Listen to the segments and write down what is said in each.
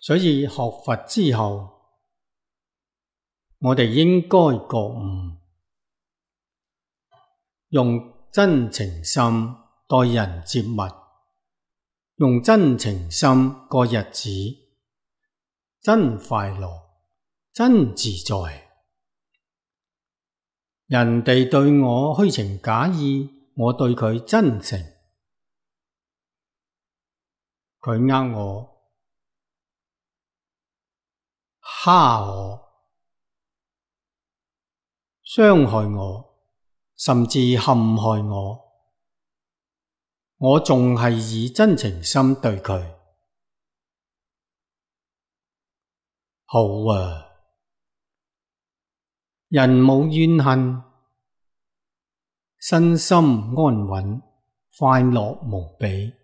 所以學佛之後，我哋應該覺悟，用真情心待人接物，用真情心過日子，真快樂，真自在。人哋對我虛情假意，我對佢真誠。佢呃我、蝦我、傷害我，甚至陷害我，我仲係以真情心對佢。好啊，人冇怨恨，身心安穩，快樂無比。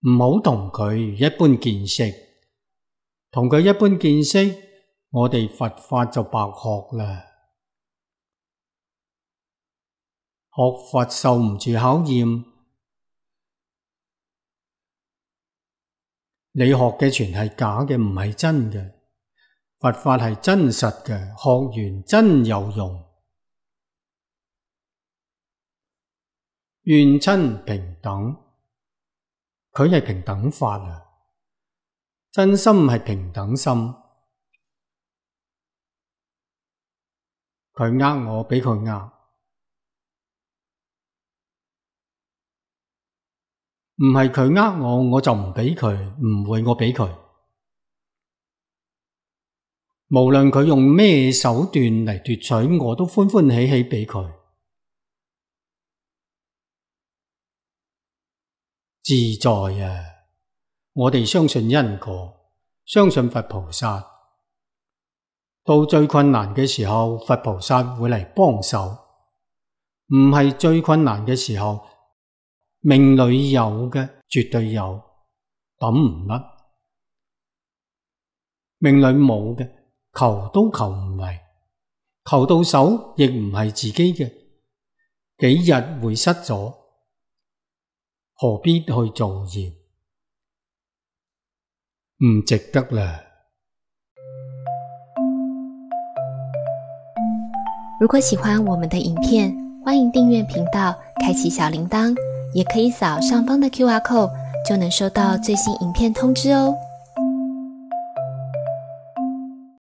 唔好同佢一般見識，同佢一般見識，我哋佛法就白學啦。學佛受唔住考驗，你學嘅全係假嘅，唔係真嘅。佛法係真實嘅，學完真有用。怨親平等，佢係平等法啊，真心係平等心。佢呃我，俾佢呃，唔係佢呃我，我就唔俾佢，唔會我俾佢。無論佢用咩手段嚟奪取，我都歡歡喜喜俾佢。自在啊！我哋相信因果，相信佛菩薩。到最困難嘅時候，佛菩薩會嚟幫手。唔係最困難嘅時候，命裏有嘅絕對有，抌唔甩。命裏冇嘅，求都求唔嚟，求到手亦唔係自己嘅，幾日會失咗，何必去造業？唔值得啦。如果喜歡我們的影片，歡迎訂閱頻道，開啟小鈴鐺，也可以掃上方的QR code，就能收到最新影片通知哦。